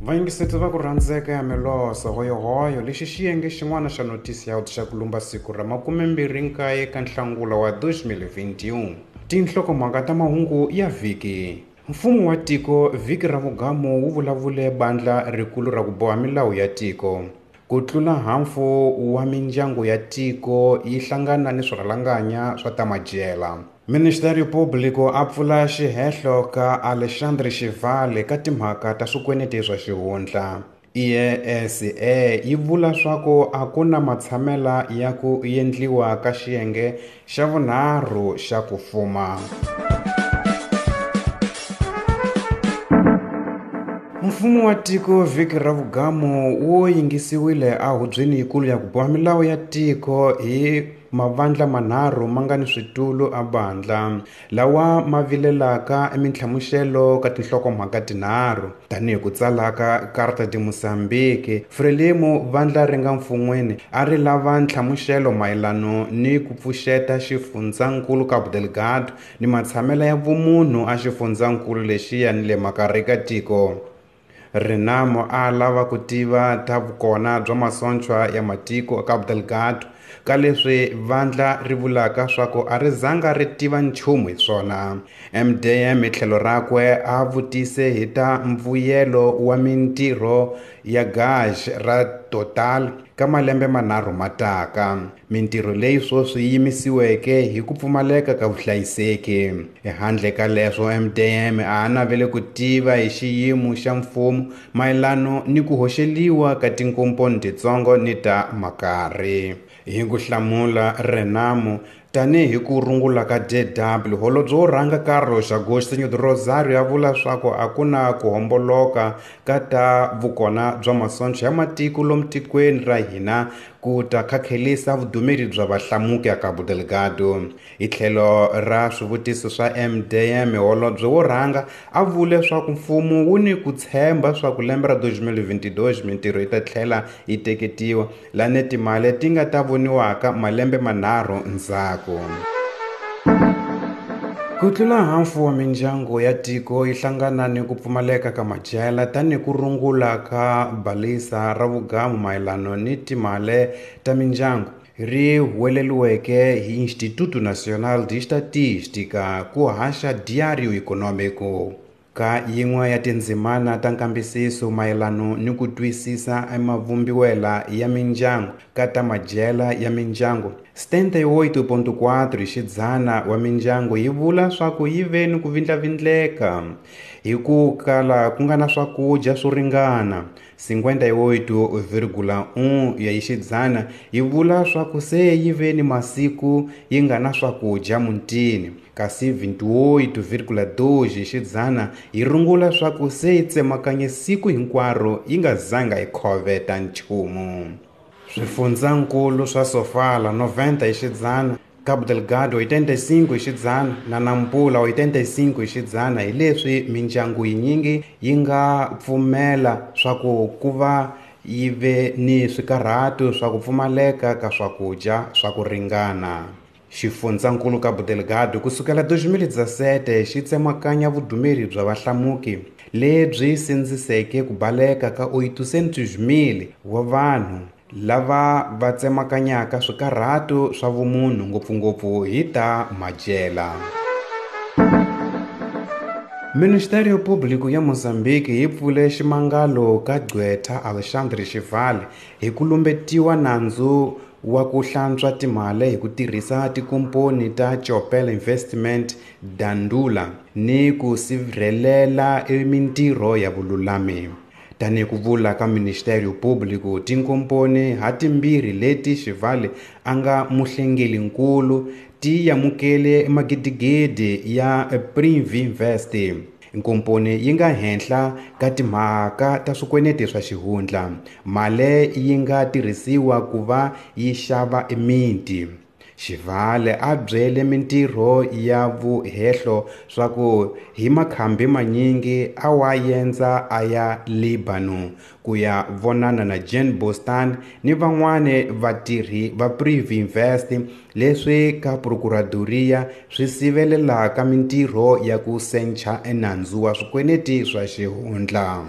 Vayingiseti va ku rhandzeka ya Melosa hoyohoyo lexi xiyenge xin'wana xa notisi ya xa ku lumba siku ra 29 ka Nhlangula wa 2021. Tinhlokomhaka ta mahungu ya vhiki. Mfumo wa tiko vhiki ra vugamu wu vulavule bandla rikulu ra ku boha milawu ya tiko. Ku tlula hafu wa mindyangu ya tiko yi hlangana ni swirhalanganya swa ta madyela. Ministério Público a pfula xihehlo ka Alexandre Xivale ka timhaka ta swikweneti swa xihundla. IESE yi vula swaku a ku na matshamela ya ku endliwa ka xiyenge xa vunharhu xa ku fuma. Mfumo wa tiko vhiki ra vugamu wu yingisiwile ehubyeni yikulu ya ku boha milawu ya tiko hi mavandla manharhu ma nga ni switulu a bandla lawa ma vilelaka emintlhamuxelo ka tinhlokomhaka tinharhu tanihi ku tsala ka Carta de Moçambique. Frelimo vandla ri nga mfun'weni a ri lava ntlhamuxelo mayelano ni ku pfuxeta xifundzankulu Cabo Delgado ni matshamela ya vumunhu a xifundzankulu lexiya ni le makarhi ka tiko. Renamo a lava ku tiva ta vukona bya masochwa ya matiko Cabo Delgado ka leswi vandla ri vulaka swaku a ri zanga ri tiva nchumu hi swona. MDM hi tlhelo rakwe a vutise hi ta mbuyelo wa mintirho ya gaj ra Total ka malembe manharhu mataka, mintirho leyi sweswi yi yimisiweke hi ku pfumaleka ka vuhlayiseki. Ehandle ka leswo, MDM a navele ku tiva hi xiyimo xa mfumo mayelano ni ku hoxeliwa ka tinkomponi titsongo ni ta makarhi. Hi ku hlamula Renamo tanihi ku rungula ka DW, holobye wo rhanga Carlos Agostinho do Rosário a vula swaku a ku na ku homboloka ka ta vukona bya masocha ya matiko lomu tikweni ra hina ku ta khakhelisa vudumeri bya vahlamuki a Cabo Delgado. Hi tlhelo ra swivutiso swa MDM, holobye wo rhanga a vule swaku mfumo wu ni ku tshemba swaku lembe ra 2022 mintirho yi ta tlhela yi teketiwa lani timali ti nga ta voniwaka malembe manharhu ndzhaku. Ku tlula hafu wa mindyangu ya tiko yi hlangana ni ku pfumaleka ka madyela tanihi ku rungula ka balisa ra vugamu mayelano ni timali ta mindyangu ri huweleliweke hi Instituto Nacional de Estatística ku haxa Diário Econômico. Ka yin'we ya tindzimana ta nkambisiso mayelano ni ku twisisa emavumbiwela ya mindyangu ka ta madyela ya mindyangu, 78.4 hi xidzana wa mindyangu yi vula swaku yi ve ni ku vindlavindleka hi ku kala ku nga na swakudya swo ringana. 58,1 ya hi xidzana yi vula swaku se yi ve ni masiku yi nga na swakudya mutini, kasi 28,2 hi xidzana yi rungula swaku se yi tsemakanye siku hinkwaro yi nga zanga yi khoveta nchumu. Swifundzankulu swa Sofala 90 hi xidzana, Cabo Delgado 85 hi xidzana na Nampula 85 hi xidzana hi leswi mindyangu yinyingi yi nga pfumela swaku ku va yi ve ni swikarhato swa ku pfumaleka ka swakudya swa ku ringana. Xifundzankulu Cabo Delgado ku sukela 2017 xi tsemakanya vudumeri bya vahlamuki lebyi sindziseke ku baleka ka 800,000 wa vanhu lava va tsemakanyaka swikarhato swa vumunhu ngopfungopfu hi ta madyela. Ministério Público ya Mozambique yi pfule ximangalo ka gqwetha Alexandre Xivale hi ku lumbetiwa nandzu wa ku hlantswa timali hi ku tirhisa tikomponi ta Chopel Investment Dandula ni ku sirhelela mintirho ya vululami. Tanihi ku vula ka Ministério Público, tinkomponi hatimbirhi leti Xivale a nga muhlengelinkulu ti amukele magidigidi ya Privinvest. Nkomponi yi nga henhla ka timhaka ta swikweleti swa xihundla, mali yi nga tirhisiwa ku va yi xava emiti. Xivale a byele mintirho ya vuhehlo swaku hi makhambi manyingi a wa yendza a ya Lebanon ku ya vonana na Jean Bostan ni van'wani vatirhi va Privinvest leswi ka Procuradoria swi sivelelaka mintirho ya ku sencha enandzu wa swikweleti swa xihundla.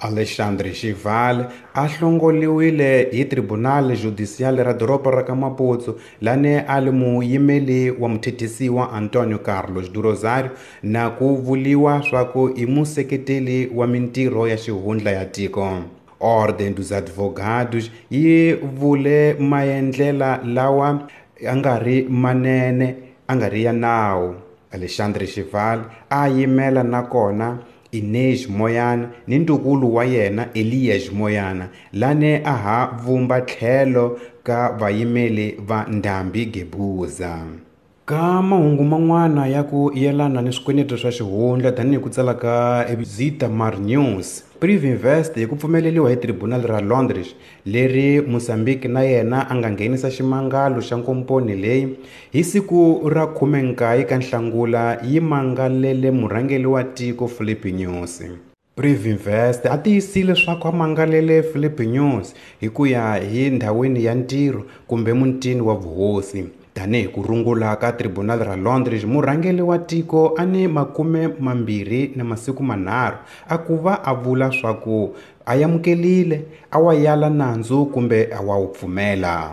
Alexandre Xival a hlongoliwile hi Tribunal Judicial ra doroba ra ka Maputo lane a li muyimeli wa muthethisiwa Antonio Carlos do Rosário na ku vuliwa swaku i museketeli wa mintirho ya xihundla ya tiko. Ordem dos Advogados yi vule maendlela lawa a nga ri manene a nga ri ya nawu. Alexandre Xival a yimela nakona Inês Moyana ni ntukulu wa yena Elias Moyana lane a ha vumba tlhelo ka vayimeli va Ndhambi Gebuza. Ka mahungu man'wana ya ku yelana ni swikweleti swa xihundla tanihi ku tsala ka Zitamar News, Privinvest hi ku pfumeleriwa hi Tribunal ra Londres leri Mozambique na yena a nga nghenisa ximangalo xa nkomponi leyi hi siku ra 19 ka Nhlangula yi mangalele murhangeri wa tiko Filipe Nyusi. Privinvest a tiyisile leswaku a mangalele Filipe Nyusi hi ku ya hi ndhawini ya ntirho kumbe mutini wa vuhosi. Tanihi ku rungula ka Tribunal ra Londres, murhangeri wa tiko a ni 23 a ku va a vula swaku a amukelile a wa yala nandzu kumbe a wa wu pfumela.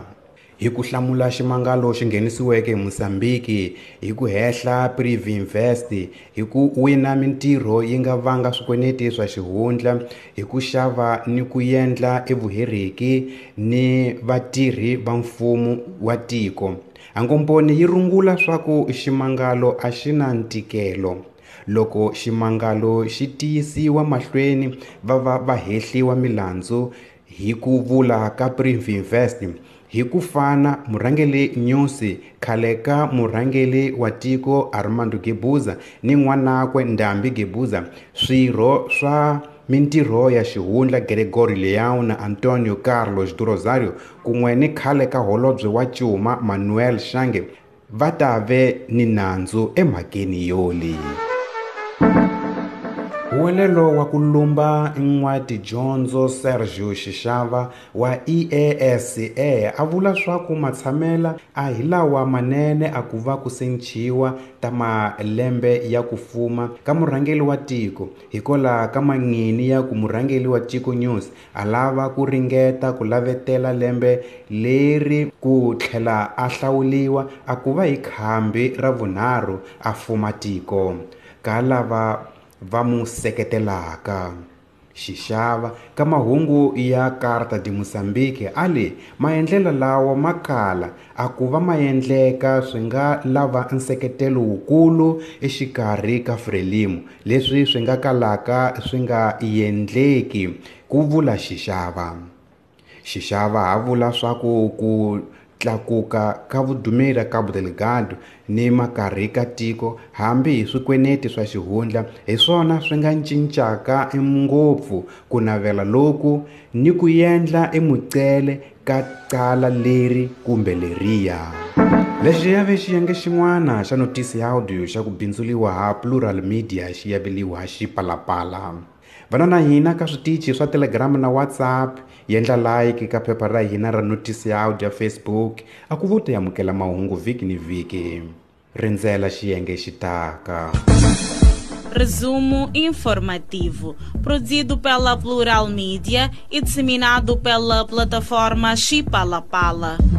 Hi ku hlamula ximangalo xi nghenisiweke hi Mozambique hi ku hehla Privinvest hi ku wina mintirho yi nga vanga swikweleti swa xihundla hi ku xava ni ku endla evuheriki ni vatirhi va mfumo wa tiko. Ankomponi yi rungula swaku ximangalo a xi na ntikelo. Loko ximangalo xi tiyisiwa mahlweni va va va hehliwa milandzu hi ku vula ka Privinvest. Hi ku fana murhangeri Nyusi khale ka murhangeri wa tiko Armando Gebuza ni n'wanakwe Ndhambi Gebuza, swirho swa mintirho ya xihundla Gregorio Leão na Antonio Carlos do Rosário kun'we ni khale ka holobye wa Cuma Manuel Shange va ta ve ni nandzu emhakeni yoli. Huwelelo wa ku lumba n'watidyondzo Sergio Xixava wa EASA a vula swaku matshamela a hi lawa manene a ku va ku sechiwa ta malembe ya ku fuma ka murhangeri wa tiko hikwalaho ka mangini ya ku murhangeri wa tiko News a lava ku ringeta ku lavetela lembe leri ku tlhela a hlawuliwa a ku va hi khambi ra vunharhu a fuma tiko ka lava va mu seketelaka. Xixava ka mahungu ya Carta de Mozambique a li maendlelo lawa makala a ku va maendleka swi nga lava nseketelo wukulu exikarhi ka Frelimo leswi swi nga kalaka swi nga endleki, ku vula Xixava. Xixava a vula swaku ku tlakuka ka vudumeri Cabo Delgado ni makarhi ka tiko hambi hi swikweneti swa xihundla hi swona swi nga cincaka ngopfu ku navela loku ni ku endla emucele ka cala leri kumbe leriya. Lexi ya ve xiyenge xin'wana xa notisi ya audio xa ku bindzuliwa ha Plural Media xi yaveliwa Xipalapala. Vana na hina ka switichi swa Telegram na WhatsApp, yendla like ka phepha ra hina ra notisi ya audio ya Facebook, a ku vo ta amukela mahungu vhiki ni vhiki. Rindzela xiyenge xitaka. Resumo informativo, produzido pela Plural Media e disseminado pela plataforma Xipalapala.